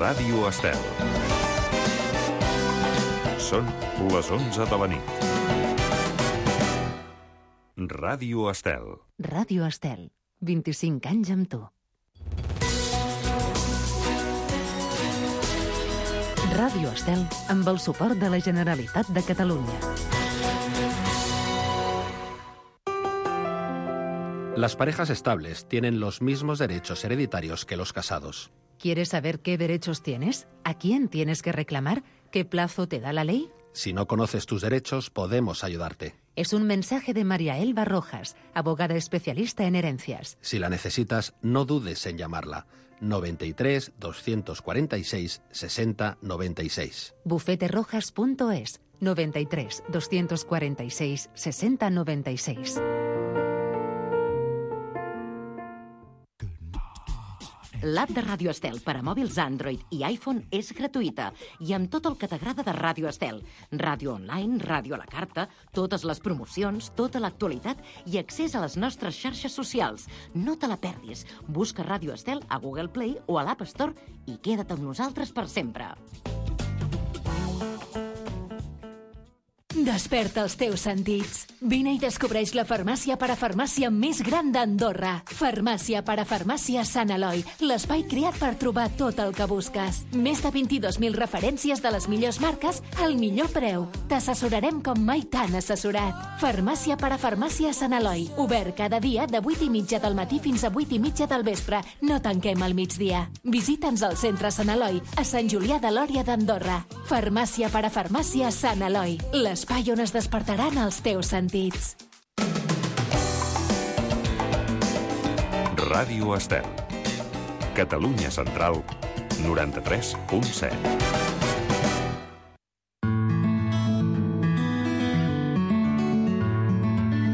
Ràdio Estel. Són les 11 de la nit. Ràdio Estel. Ràdio Estel. 25 anys amb tu. Ràdio Estel amb el suport de la Generalitat de Catalunya. Las parejas estables tienen los mismos derechos hereditarios que los casados. ¿Quieres saber qué derechos tienes? ¿A quién tienes que reclamar? ¿Qué plazo te da la ley? Si no conoces tus derechos, podemos ayudarte. Es un mensaje de María Elba Rojas, abogada especialista en herencias. Si la necesitas, no dudes en llamarla. 93 246 60 96. Bufeterojas.es 93 246 60 96. L'app de Ràdio Estel per a mòbils Android i iPhone és gratuïta i amb tot el que t'agrada de Ràdio Estel. Ràdio online, ràdio a la carta, totes les promocions, tota l'actualitat i accés a les nostres xarxes socials. No te la perdis. Busca Ràdio Estel a Google Play o a l'App Store i queda't amb nosaltres per sempre. Desperta els teus sentits. Vine i descobreix la farmàcia parafarmàcia més gran d'Andorra. Farmàcia parafarmàcia Sant Eloi, l'espai creat per trobar tot el que busques. Més de 22.000 referències de les millors marques al millor preu. T'assessorarem com mai t'han assessorat. Farmàcia parafarmàcia Sant Eloi, obert cada dia de 8:30 del matí fins a 8:30 del vespre. No tanquem al migdia. Visita'ns al centre Sant Eloi, a Sant Julià de Lòria d'Andorra. Farmàcia parafarmàcia Sant Eloi, l'espai on es despertaran els teus sentits. Ràdio Estel. Catalunya Central, 93.7.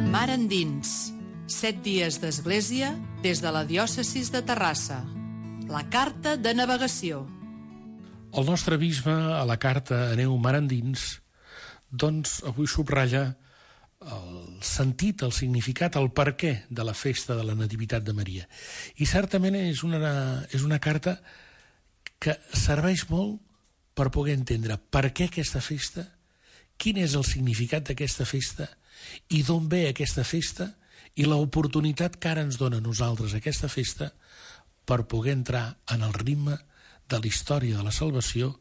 Mar endins. 7 dies d'església des de la diòcesis de Terrassa. La carta de navegació. El nostre bisbe, a la carta Aneu mar endins, doncs avui subratlla el sentit, el significat, el perquè de la festa de la Nativitat de Maria. I certament és una carta que serveix molt per poder entendre per què aquesta festa, quin és el significat d'aquesta festa i d'on ve aquesta festa i l'oportunitat que ara ens dona a nosaltres aquesta festa per poder entrar en el ritme de la història de la salvació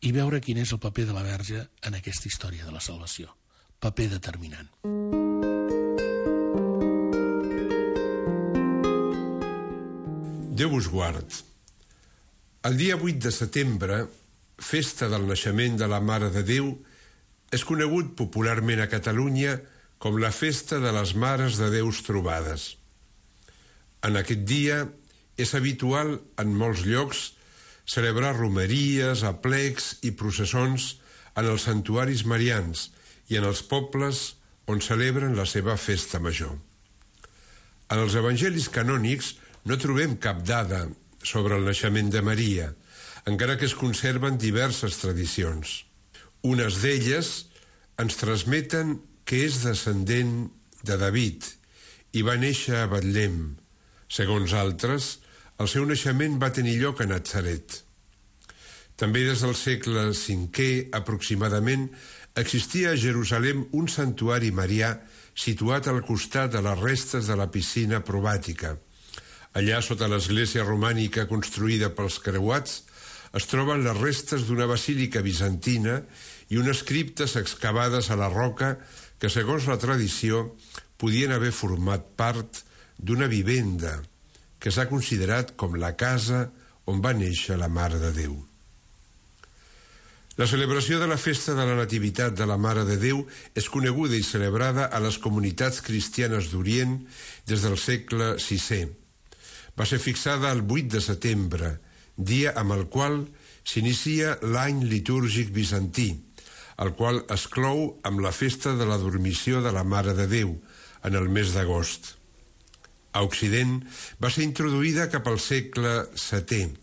i veure quin és el paper de la Verge en aquesta història de la salvació. Paper determinant. Déu us guard. El dia 8 de setembre, festa del naixement de la Mare de Déu, és conegut popularment a Catalunya com la festa de les Mares de Déus trobades. En aquest dia és habitual en molts llocs celebrar romeries, aplecs i processons en els santuaris marians i en els pobles on celebren la seva festa major. En els evangelis canònics no trobem cap dada sobre el naixement de Maria, encara que es conserven diverses tradicions. Unes d'elles ens transmeten que és descendent de David i va néixer a Betlem. Segons altres, el seu naixement va tenir lloc a Natzaret. També des del segle V, aproximadament, existia a Jerusalem un santuari marià situat al costat de les restes de la piscina probàtica. Allà, sota l'església romànica construïda pels creuats, es troben les restes d'una basílica bizantina i unes criptes excavades a la roca que, segons la tradició, podien haver format part d'una vivenda que s'ha considerat com la casa on va néixer la Mare de Déu. La celebració de la festa de la Nativitat de la Mare de Déu és coneguda i celebrada a les comunitats cristianes d'Orient des del segle VI. Va ser fixada el 8 de setembre, dia amb el qual s'inicia l'any litúrgic bizantí, el qual es clou amb la festa de la Dormició de la Mare de Déu, en el mes d'agost. A Occident va ser introduïda cap al segle VII.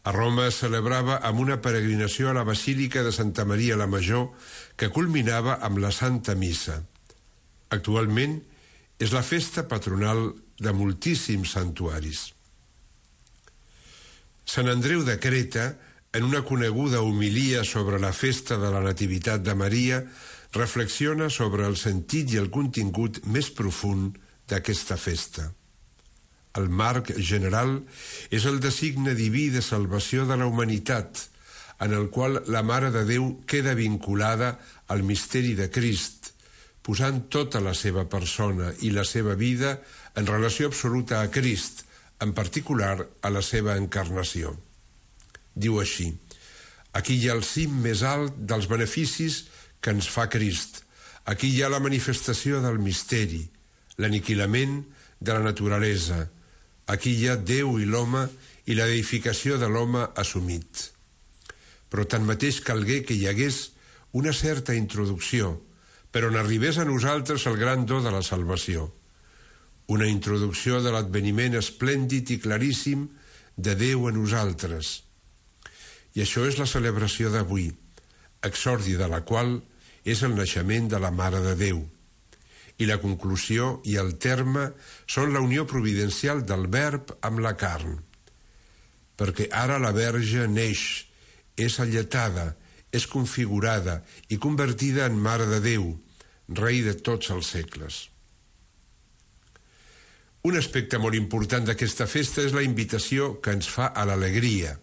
A Roma es celebrava amb una peregrinació a la Basílica de Santa Maria la Major que culminava amb la Santa Missa. Actualment és la festa patronal de moltíssims santuaris. Sant Andreu de Creta En una coneguda homilia sobre la festa de la Nativitat de Maria, reflexiona sobre el sentit i el contingut més profund d'aquesta festa. El marc general és el designe diví de salvació de la humanitat, en el qual la Mare de Déu queda vinculada al misteri de Crist, posant tota la seva persona i la seva vida en relació absoluta a Crist, en particular a la seva encarnació. Diu així: aquí hi ha el cim més alt dels beneficis que ens fa Crist. Aquí hi ha la manifestació del misteri, l'aniquilament de la naturalesa. Aquí hi ha Déu i l'home i la deificació de l'home assumit. Però tanmateix calgué que hi hagués una certa introducció, per on arribés a nosaltres el gran do de la salvació. Una introducció de l'adveniment esplèndid i claríssim de Déu a nosaltres. I això és la celebració d'avui, exordi de la qual és el naixement de la Mare de Déu. I la conclusió i el terme són la unió providencial del Verb amb la carn. Perquè ara la Verge neix, és alletada, és configurada i convertida en Mare de Déu, Rei de tots els segles. Un aspecte molt important d'aquesta festa és la invitació que ens fa a l'alegria,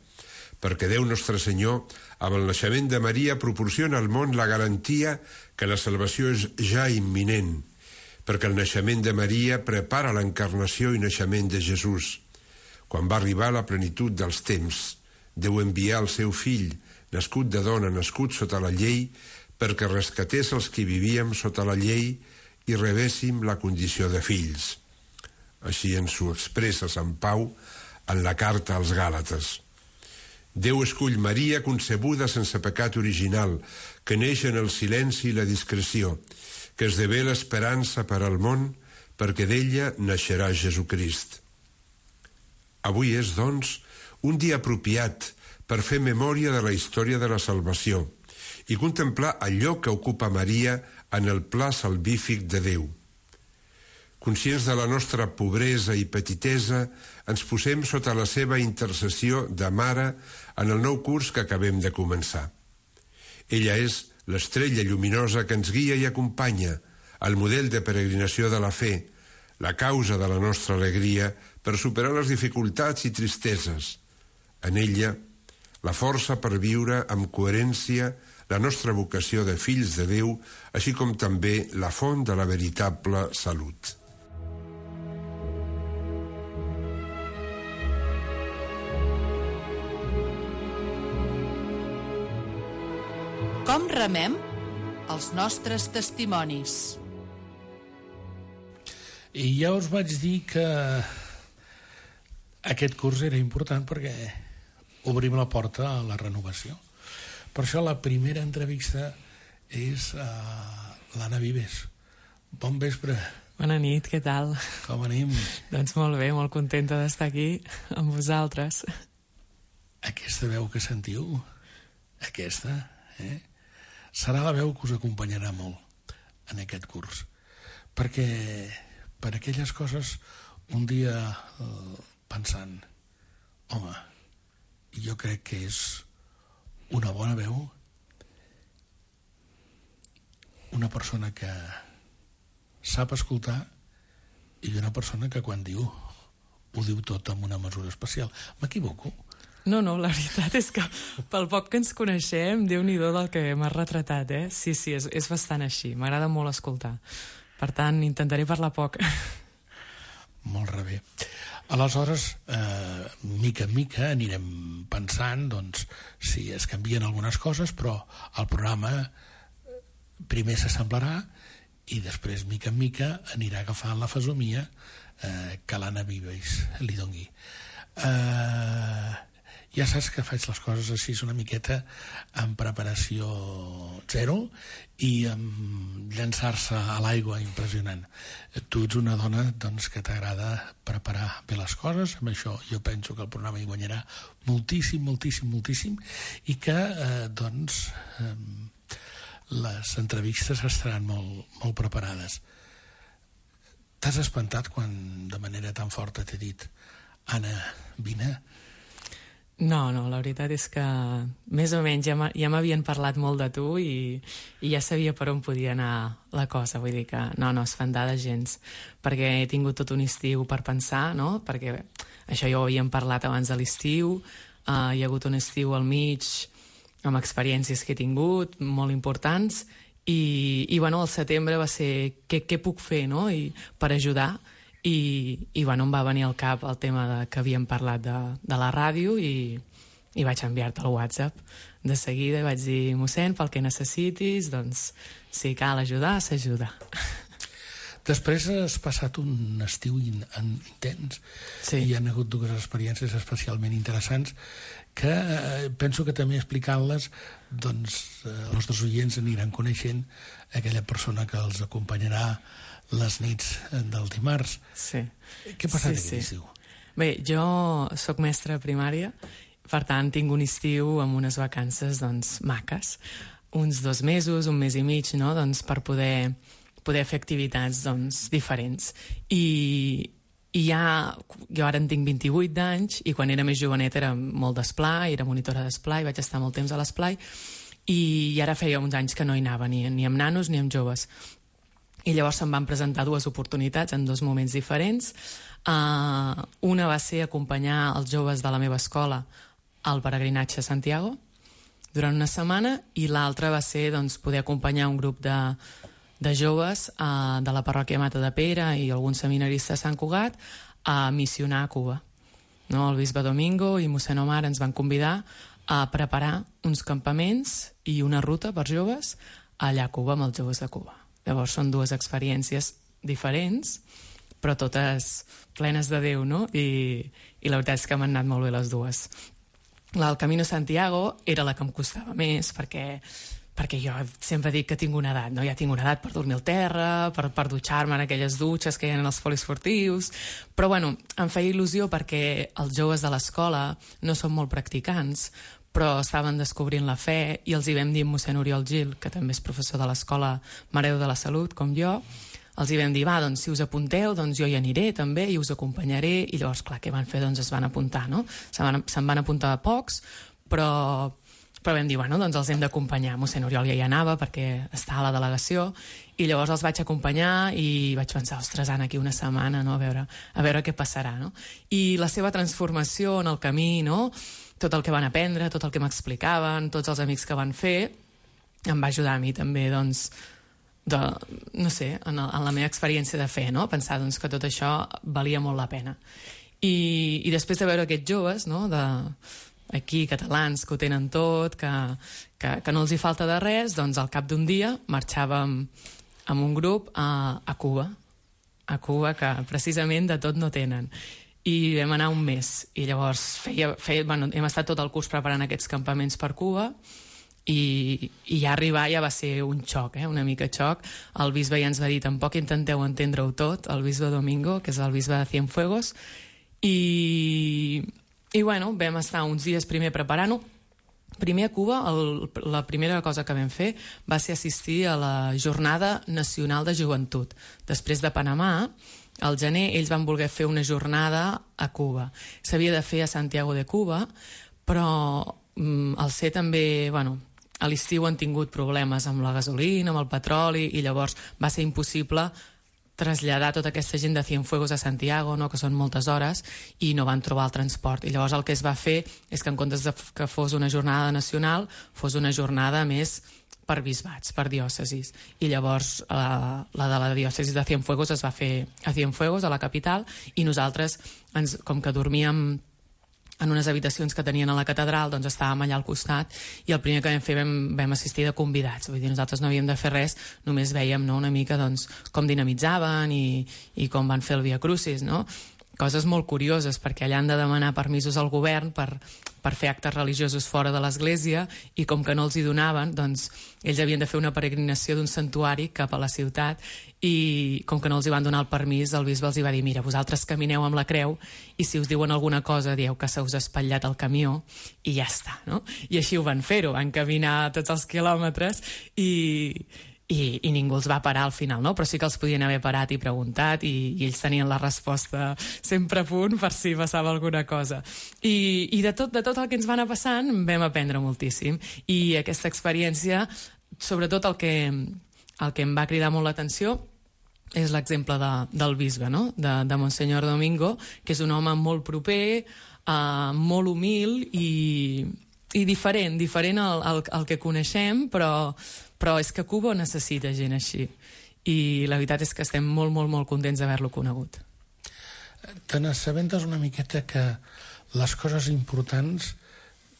perquè Déu Nostre Senyor, amb el naixement de Maria, proporciona al món la garantia que la salvació és ja imminent, perquè el naixement de Maria prepara l'encarnació i naixement de Jesús. Quan va arribar la plenitud dels temps, Déu envià el seu fill, nascut de dona, nascut sota la llei, perquè rescatés els que vivíem sota la llei i rebéssim la condició de fills. Així ens ho expressa Sant Pau en la carta als Gàlates. Déu escull Maria concebuda sense pecat original, que neix en el silenci i la discreció, que esdevé l'esperança per al món, perquè d'ella naixerà Jesucrist. Avui és, doncs, un dia apropiat per fer memòria de la història de la salvació i contemplar allò que ocupa Maria en el pla salvífic de Déu. Conscients de la nostra pobresa i petitesa, ens posem sota la seva intercessió de Mare en el nou curs que acabem de començar. Ella és l'estrella lluminosa que ens guia i acompanya, el model de peregrinació de la fe, la causa de la nostra alegria per superar les dificultats i tristeses. En ella, la força per viure amb coherència la nostra vocació de fills de Déu, així com també la font de la veritable salut. Com remem els nostres testimonis? I ja us vaig dir que aquest curs era important perquè obrim la porta a la renovació. Per això la primera entrevista és a l'Anna Vives. Bon vespre. Bona nit, què tal? Com anem? Doncs molt bé, molt contenta d'estar aquí amb vosaltres. Aquesta veu que sentiu, aquesta, serà la veu que us acompanyarà molt en aquest curs. Perquè per aquelles coses, un dia pensant, home, jo crec que és una bona veu, una persona que sap escoltar i una persona que quan diu ho diu tot amb una mesura especial. M'equivoco? No, la veritat és que pel poc que ens coneixem, Déu-n'hi-do del que m'has retratat, eh? Sí, és bastant així, m'agrada molt escoltar. Per tant, intentaré parlar poc. Molt bé. Aleshores, mica en mica anirem pensant, doncs, si es canvien algunes coses, però el programa primer s'assemblarà i després, mica en mica, anirà agafant la fesomia que l'Anna Vives li doni. Ja saps que faig les coses així una miqueta en preparació zero i amb llançar-se a l'aigua impressionant. Tu ets una dona doncs, que t'agrada preparar bé les coses, amb això jo penso que el programa hi guanyarà moltíssim i que les entrevistes estaran molt preparades. T'has espantat quan de manera tan forta t'he dit Anna, vine? No, la veritat és que més o menys ja m'havien parlat molt de tu i ja sabia per on podia anar la cosa, vull dir que no es fan dades gens, perquè he tingut tot un estiu per pensar, no? Perquè això ja ho havíem parlat abans de l'estiu, hi ha hagut un estiu al mig amb experiències que he tingut, molt importants, i bueno, al setembre va ser què puc fer, no? Per ajudar, i bueno, em va venir al cap el tema que havíem parlat de la ràdio i vaig enviar-te el WhatsApp de seguida i vaig dir, mossèn, pel que necessitis, doncs si cal ajudar, s'ajuda. Després has passat un estiu intens i hi ha hagut dues experiències especialment interessants que penso que també explicant-les doncs els nostres oients aniran coneixent aquella persona que els acompanyarà les nits del dimarts. Sí. Què ha passat aquest estiu? Bé, jo sóc mestra de primària, per tant tinc un estiu amb unes vacances doncs maques, uns 2 mesos, 1 mes i mig, no? Doncs per poder fer activitats doncs diferents. I jo ara en tinc 28 d'anys i quan era més jovenet era molt d'esplai, era monitora d'esplai, vaig estar molt temps a l'esplai i ara feia uns anys que no hi anava ni amb nanos ni amb joves. I llavors se'm van presentar 2 oportunitats en 2 moments diferents. Una va ser acompanyar els joves de la meva escola al peregrinatge a Santiago durant una setmana i l'altra va ser doncs, poder acompanyar un grup de joves de la parròquia Mata de Pere i alguns seminaristes de Sant Cugat a missionar a Cuba. No? El bisbe Domingo i mossèn Omar ens van convidar a preparar uns campaments i una ruta per joves allà a Cuba amb els joves de Cuba. Llavors són 2 experiències diferents, però totes plenes de Déu, no? I la veritat és que m'han anat molt bé les 2. El Camino Santiago era la que em costava més, perquè jo sempre dic que tinc una edat, no? Ja tinc una edat per dormir al terra, per dutxar-me en aquelles dutxes que hi ha en els poliesportius, però bueno, em feia il·lusió perquè els joves de l'escola no són molt practicants, però estaven descobrint la fe i els hi vam dir a mossèn Oriol Gil, que també és professor de l'escola Mare de la Salut, com jo, els hi vam dir, doncs si us apunteu, doncs jo hi aniré també i us acompanyaré, i llavors, clar, què van fer? Doncs es van apuntar, no? Se'n van apuntar pocs, però vam dir, doncs els hem d'acompanyar. Mossèn Oriol ja hi anava perquè està a la delegació, i llavors els vaig acompanyar i vaig pensar, ostres, Anna, aquí una setmana, no? A veure què passarà, no? I la seva transformació en el camí, no? Tot el que van aprendre, tot el que m'explicaven, tots els amics que van fer, em va ajudar a mi també, doncs, no sé, en la meva experiència de fe, no? Pensar doncs, que tot això valia molt la pena. I després de veure aquests joves, no? Aquí, catalans, que ho tenen tot, que no els hi falta de res, doncs al cap d'un dia marxàvem amb un grup a Cuba, que precisament de tot no tenen. I vam anar un mes, i llavors hem estat tot el curs preparant aquests campaments per Cuba, i ja arribar ja va ser un xoc, una mica xoc. El bisbe ja ens va dir, tampoc intenteu entendre-ho tot, el bisbe Domingo, que és el bisbe de Cienfuegos, i bueno, vam estar uns dies primer preparant-ho. Primer a Cuba, la primera cosa que vam fer va ser assistir a la Jornada Nacional de Joventut. Després de Panamà, al gener, ells van voler fer una jornada a Cuba. S'havia de fer a Santiago de Cuba, però al ser també, a l'estiu han tingut problemes amb la gasolina, amb el petroli, i llavors va ser impossible traslladar tota aquesta gent de Cienfuegos a Santiago, no? Que són moltes hores, i no van trobar el transport. I llavors el que es va fer és que en comptes de que fos una jornada nacional, fos una jornada més per bisbats, per diòcesis. I llavors la de la diòcesis de Cienfuegos es va fer a Cienfuegos, a la capital, i nosaltres, com que dormíem en unes habitacions que tenien a la catedral, doncs estàvem allà al costat, i el primer que vam fer vam assistir de convidats. Vull dir, nosaltres no havíem de fer res, només vèiem una mica com dinamitzaven i com van fer el Via Crucis, no? Coses molt curioses, perquè allà han de demanar permisos al govern per fer actes religiosos fora de l'església, i com que no els hi donaven, doncs ells havien de fer una peregrinació d'un santuari cap a la ciutat, i com que no els hi van donar el permís, el bisbe els hi va dir, mira, vosaltres camineu amb la creu, i si us diuen alguna cosa, dieu que se us ha espatllat el camió, i ja està, no? I així ho van fer-ho, van caminar tots els quilòmetres, i i ningú els va parar al final, no? Però sí que els podien haver parat i preguntat i ells tenien la resposta sempre a punt per si passava alguna cosa. I de tot el que ens va anar passant vam aprendre moltíssim, i aquesta experiència, sobretot el que em va cridar molt l'atenció és l'exemple del bisbe, no? de Monsenyor Domingo, que és un home molt proper, molt humil i diferent al que coneixem, però és que Cuba necessita gent així. I la veritat és que estem molt, molt, molt contents d'haver-lo conegut. Te n'assabentes una miqueta que les coses importants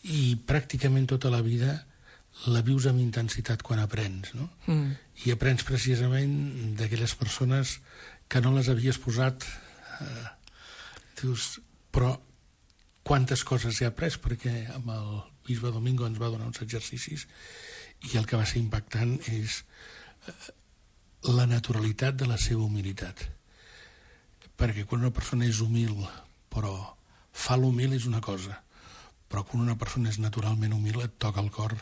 i pràcticament tota la vida la vius amb intensitat quan aprens, no? I aprens precisament d'aquelles persones que no les havies posat. Dius, però quantes coses he après, perquè amb el bisbe Domingo ens va donar uns exercicis i el que va ser impactant és la naturalitat de la seva humilitat. Perquè quan una persona és humil però fa l'humil és una cosa, però quan una persona és naturalment humil et toca el cor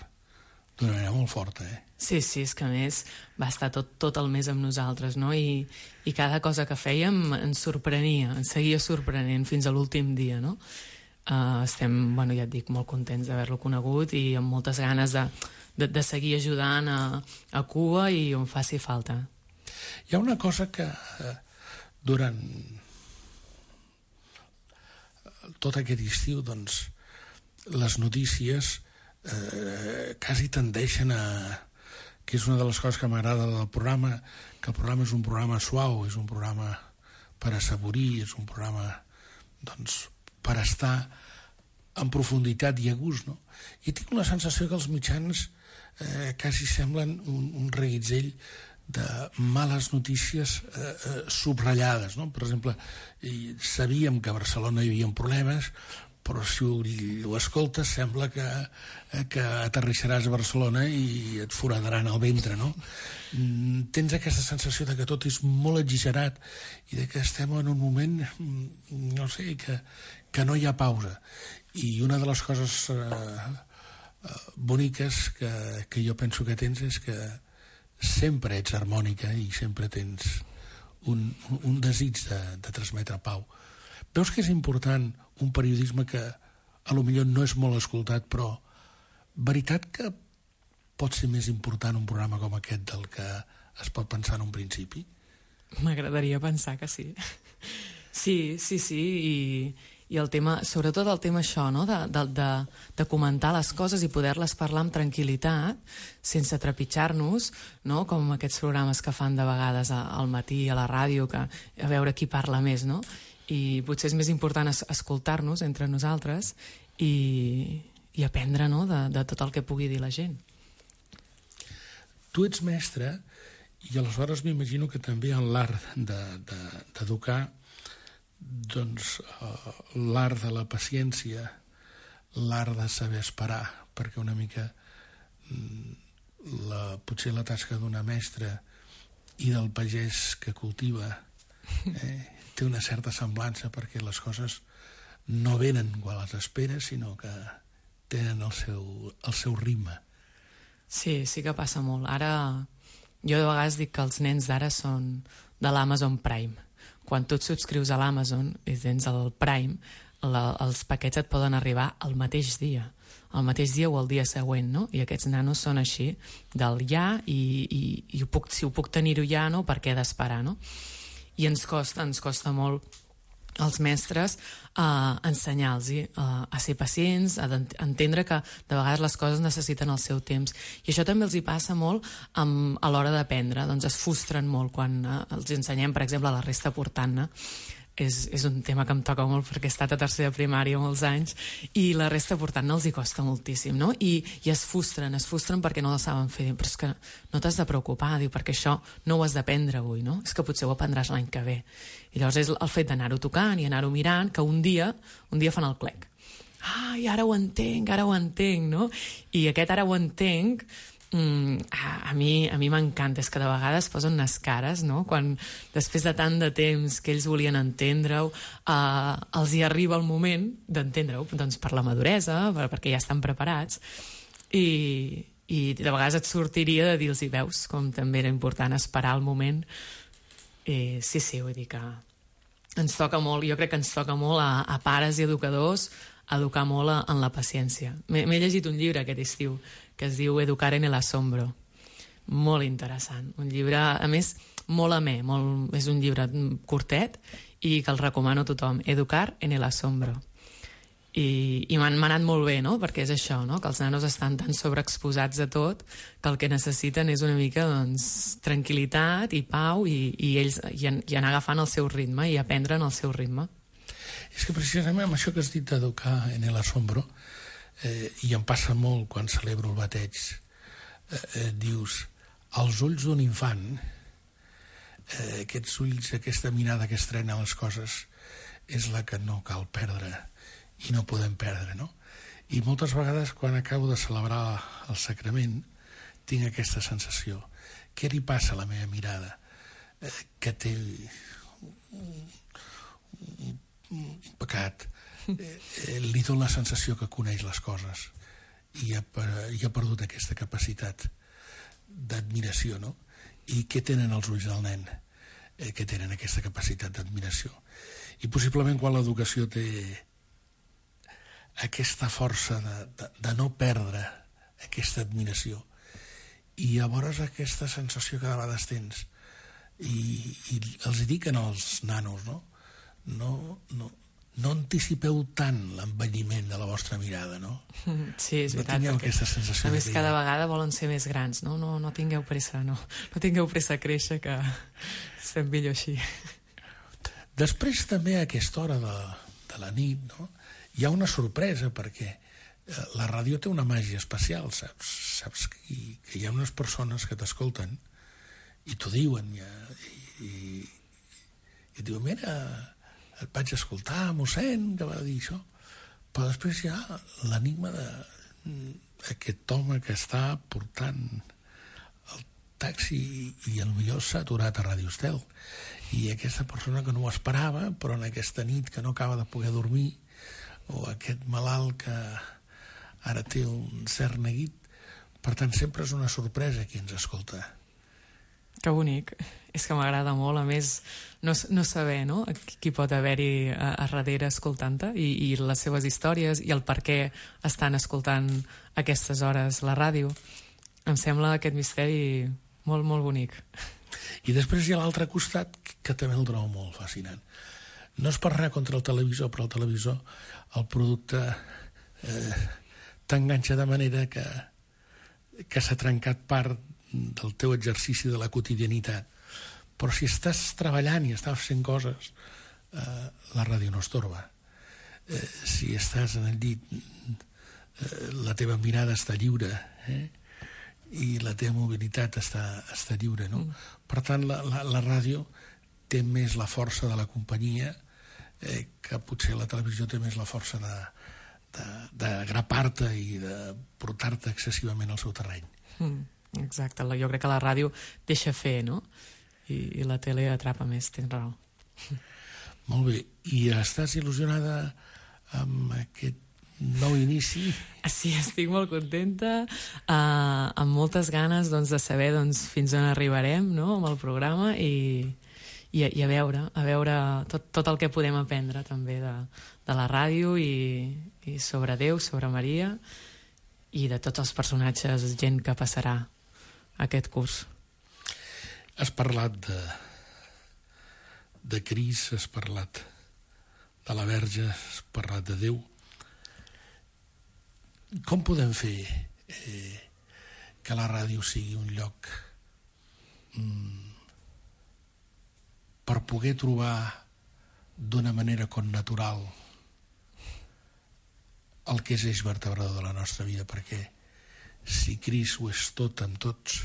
d'una manera molt forta, Sí, és que a més va estar tot el mes amb nosaltres, no? I cada cosa que fèiem ens sorprenia, ens seguia sorprenent fins a l'últim dia, no? Estem, ja et dic, molt contents d'haver-lo conegut i amb moltes ganes de seguir ajudant a Cuba i on faci falta. Hi ha una cosa que durant tot aquest estiu, doncs, les notícies quasi tendeixen a... que és una de les coses que m'agrada del programa, que el programa és un programa suau, és un programa per assaborir, és un programa, doncs, per estar en profunditat i a gust, no? I tinc la sensació que els mitjans quasi semblen un reguitzell de males notícies subratllades, no? Per exemple, sabíem que a Barcelona hi havia problemes, però si ho escoltes sembla que aterrissaràs a Barcelona i et foradaran el ventre, no? Tens aquesta sensació de que tot és molt exagerat i de que estem en un moment, no sé, que no hi ha pausa. I una de les coses boniques que jo penso que tens és que sempre ets harmònica i sempre tens un desig de transmetre pau. Veus que és important un periodisme que a lo millor no és molt escoltat, però veritat que pot ser més important un programa com aquest del que es pot pensar en un principi? M'agradaria pensar que sí. Sí, i el tema, sobretot el tema això, no? de comentar les coses i poder-les parlar amb tranquil·litat, sense trepitjar-nos, no? Com aquests programes que fan de vegades al matí a la ràdio, que a veure qui parla més, no? I potser és més important escoltar-nos entre nosaltres i aprendre, no? de tot el que pugui dir la gent. Tu ets mestre i aleshores m'imagino que també en l'art d'educar, doncs l'art de la paciència, l'art de saber esperar, perquè una mica potser la tasca d'una mestra i del pagès que cultiva té una certa semblança, perquè les coses no venen quan les esperes, sinó que tenen el seu ritme. Sí que passa molt. Ara, jo de vegades dic que els nens d'ara són de l'Amazon Prime. Quan tu et subscrius a l'Amazon i tens el Prime, els paquets et poden arribar el mateix dia o el dia següent, no? I aquests nanos són així, del ja, i si ho puc tenir-ho ja, no? Per què d'esperar, no? I ens costa molt als mestres ensenyar-los a ser pacients, a entendre que de vegades les coses necessiten el seu temps. I això també els hi passa molt a l'hora d'aprendre. Doncs es frustren molt quan els ensenyem, per exemple, la resta portant-ne. És un tema que em toca molt perquè he estat a tercera primària molts anys i la resta portant-ne els hi costa moltíssim, no? I es frustren perquè no la saben fer. Però és que no t'has de preocupar, diu, perquè això no ho has d'aprendre avui, no? És que potser ho aprendràs l'any que ve. I llavors és el fet d'anar-ho tocant i anar-ho mirant, que un dia fan el clec. I ara ho entenc, no? I aquest ara ho entenc a mi m'encanta, és que de vegades posen unes cares, no? Quan després de tant de temps que ells volien entendre-ho, els hi arriba el moment d'entendre-ho, doncs per la maduresa, perquè ja estan preparats, i i de vegades et sortiria de dir-los, veus, com també era important esperar el moment. Sí, vull dir que ens toca molt, jo crec que ens toca molt a pares i educadors educar molt en la paciència. M'he llegit un llibre aquest estiu que es diu Educar en el asombro. Molt interessant. Un llibre, a més, molt amè. És un llibre curtet i que el recomano a tothom. Educar en el asombro. I m'ha anat molt bé, no? Perquè és això, no? Que els nanos estan tan sobreexposats a tot que el que necessiten és una mica, doncs, tranquil·litat i pau i ells i anar agafant el seu ritme i aprendre en el seu ritme. És que precisament amb això que has dit d'educar en el asombro, i em passa molt quan celebro el bateig, dius, els ulls d'un infant, aquests ulls, aquesta mirada que estrena les coses, és la que no cal perdre i no podem perdre, no? I moltes vegades quan acabo de celebrar el sacrament tinc aquesta sensació. Què li passa a la meva mirada? Que té un pecat. Li dona la sensació que coneix les coses i ha perdut aquesta capacitat d'admiració, no? I què tenen els ulls del nen? Que tenen aquesta capacitat d'admiració. I possiblement quan l'educació té aquesta força de no perdre aquesta admiració i llavors aquesta sensació que de vegades tens i els dic als nanos, no anticipeu tant l'envelliment de la vostra mirada, no? Sí, és veritat. No tingueu aquesta sensació. A més, cada vegada volen ser més grans, no? No tingueu pressa, no tingueu pressa a créixer, que estem millor així. Després també a aquesta hora de la nit, no? Hi ha una sorpresa, perquè la ràdio té una màgia especial, saps que hi ha unes persones que t'escolten i t'ho diuen i diuen, mira, et vaig escoltar, mossèn, que va dir això, però després hi ha l'enigma d'aquest home que està portant el taxi i potser s'ha aturat a Ràdio Estel, i aquesta persona que no ho esperava, però en aquesta nit que no acaba de poder dormir, o aquest malalt que ara té un cert neguit. Per tant, sempre és una sorpresa qui ens escolta. Que bonic. És que m'agrada molt, a més, no saber, no?, qui pot haver-hi a darrere escoltant-te i les seves històries i el per què estan escoltant a aquestes hores la ràdio. Em sembla aquest misteri molt, molt bonic. I després hi ha l'altre costat, que també el trobo molt fascinant. No és per res contra el televisor, però el televisor, el producte, t'enganxa de manera que s'ha trencat part del teu exercici de la quotidianitat. Però si estàs treballant i estàs fent coses, la ràdio no estorba. Si estàs en el llit, la teva mirada està lliure, i la teva mobilitat està lliure, no? Per tant, la ràdio té més la força de la companyia, que potser la televisió té més la força de grapar-te i de portar-te excessivament al seu terreny. Exacte, jo crec que la ràdio deixa fer, no? I la tele atrapa més, tens raó. Molt bé, i estàs il·lusionada amb aquest nou inici? Sí, estic molt contenta, amb moltes ganes de saber fins on arribarem, no?, amb el programa i a veure tot el que podem aprendre també de la ràdio i sobre Déu, sobre Maria i de tots els personatges, gent que passarà aquest curs. Has parlat de Cris, has parlat de la Verge, has parlat de Déu. Com podem fer que la ràdio sigui un lloc per poder trobar d'una manera connatural el que és eix vertebrador de la nostra vida? Perquè si Crist ho és tot en tots,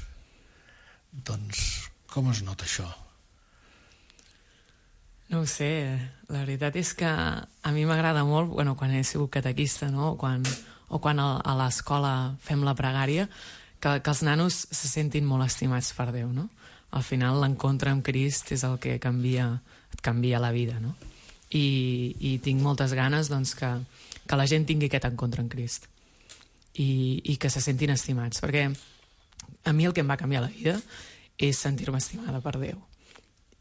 doncs com es nota això? No ho sé, la veritat és que a mi m'agrada molt, quan he sigut catequista, no?, o quan a l'escola fem la pregària, que els nanos se sentin molt estimats per Déu, no? Al final l'encontre amb Crist és el que et canvia la vida, no? I tinc moltes ganes que la gent tingui aquest encontre amb Crist. i que se sentin estimats, perquè a mi el que em va canviar la vida és sentir-me estimada per Déu.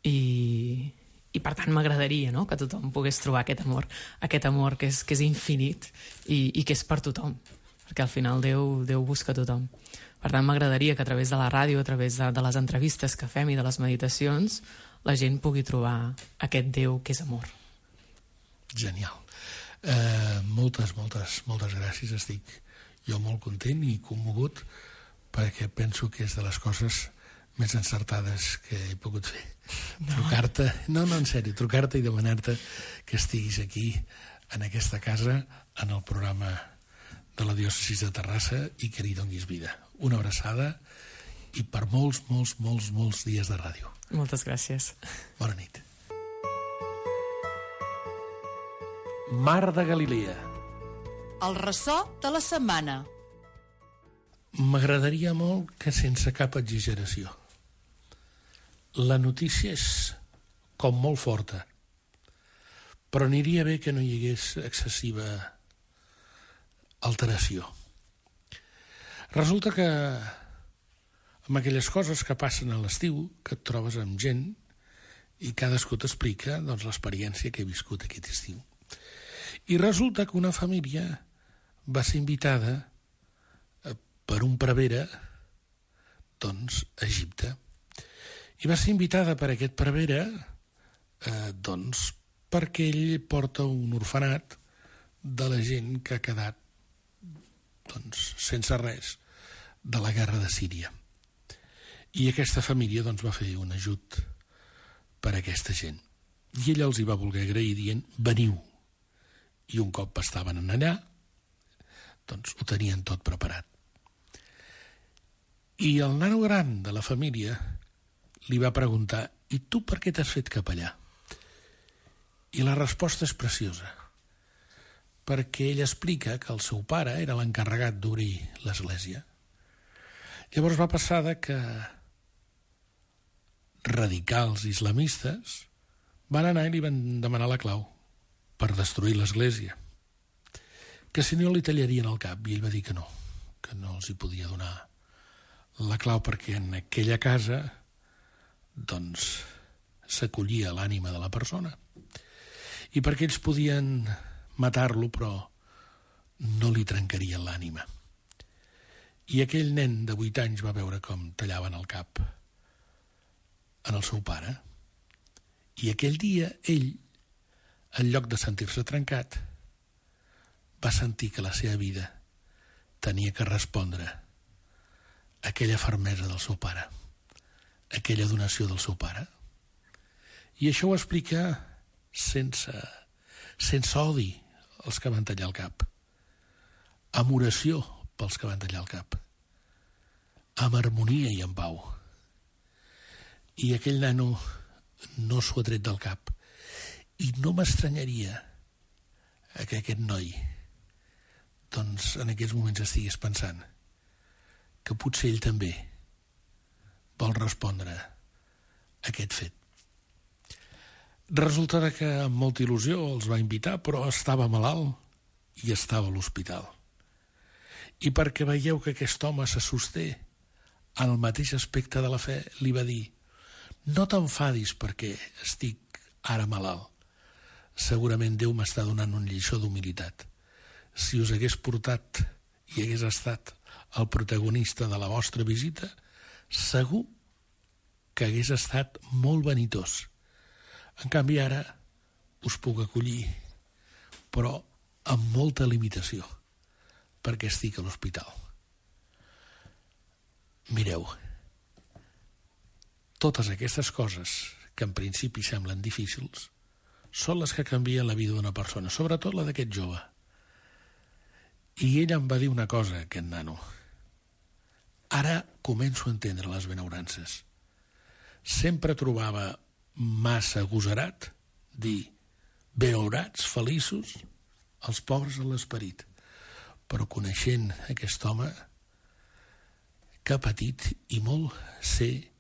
I per tant m'agradaria, no?, que tothom pogués trobar aquest amor que és infinit i que és per tothom, perquè al final Déu busca tothom. Per tant, m'agradaria que a través de la ràdio, a través de les entrevistes que fem i de les meditacions, la gent pugui trobar aquest Déu que és amor. Genial. Moltes gràcies. Estic jo molt content i commogut perquè penso que és de les coses més encertades que he pogut fer. Trucar-te, no, en sèrio, trucar-te i demanar-te que estiguis aquí, en aquesta casa, en el programa de la diòcesi de Terrassa i que li donis vida. Una abraçada i per molts dies de ràdio. Moltes gràcies. Bona nit. Mar de Galilea. El ressò de la setmana. M'agradaria molt que, sense cap exageració, la notícia és com molt forta, però aniria bé que no hi hagués excessiva alteració. Resulta que amb aquelles coses que passen a l'estiu, que et trobes amb gent i cadascú t'explica l'experiència que he viscut aquest estiu. I resulta que una família va ser invitada per un prevere a Egipte. I va ser invitada per aquest prevere perquè ell porta un orfenat de la gent que ha quedat sense res de la guerra de Síria. I aquesta família va fer un ajut per a aquesta gent. I ell els hi va voler agrair dient, veniu. I un cop estaven allà, ho tenien tot preparat. I el nano gran de la família li va preguntar, i tu per què t'has fet cap allà? I la resposta és preciosa, perquè ell explica que el seu pare era l'encarregat d'obrir l'església. Llavors va passar que radicals islamistes van anar i li van demanar la clau per destruir l'església, que si no li tallarien el cap, i ell va dir que no els hi podia donar la clau perquè en aquella casa s'acollia l'ànima de la persona i perquè ells podien matar-lo però no li trencarien l'ànima. I aquell nen de 8 anys va veure com tallaven el cap en el seu pare i aquell dia ell, en lloc de sentir-se trencat, va sentir que la seva vida tenia que respondre a aquella fermesa del seu pare, aquella donació del seu pare. I això ho explica sense odi als que van tallar el cap, amb oració pels que van tallar el cap, amb harmonia i en pau. I aquell nano no s'ho ha tret del cap. I no m'estranyaria que aquest noi en aquests moments estigués pensant que potser ell també vol respondre a aquest fet. Resulta que amb molta il·lusió els va invitar, però estava malalt i estava a l'hospital. I perquè veieu que aquest home se sosté en el mateix aspecte de la fe, li va dir, no t'enfadis perquè estic ara malalt. Segurament Déu m'està donant un lliçó d'humilitat. Si us hagués portat i hagués estat el protagonista de la vostra visita, segur que hagués estat molt vanitós. En canvi, ara us puc acollir, però amb molta limitació, perquè estic a l'hospital. Mireu, totes aquestes coses que en principi semblen difícils són les que canvien la vida d'una persona, sobretot la d'aquest jove. I ell em va dir una cosa, aquest nano. Ara començo a entendre les benaurances. Sempre trobava massa agosarat dir benaurats, feliços, els pobres en l'esperit. Però coneixent aquest home que ha patit i molt, sé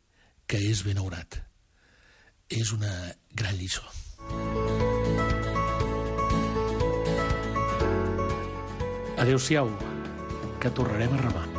que és benaurat. És una gran lliçó. Adéu-siau. que tornarem a remar.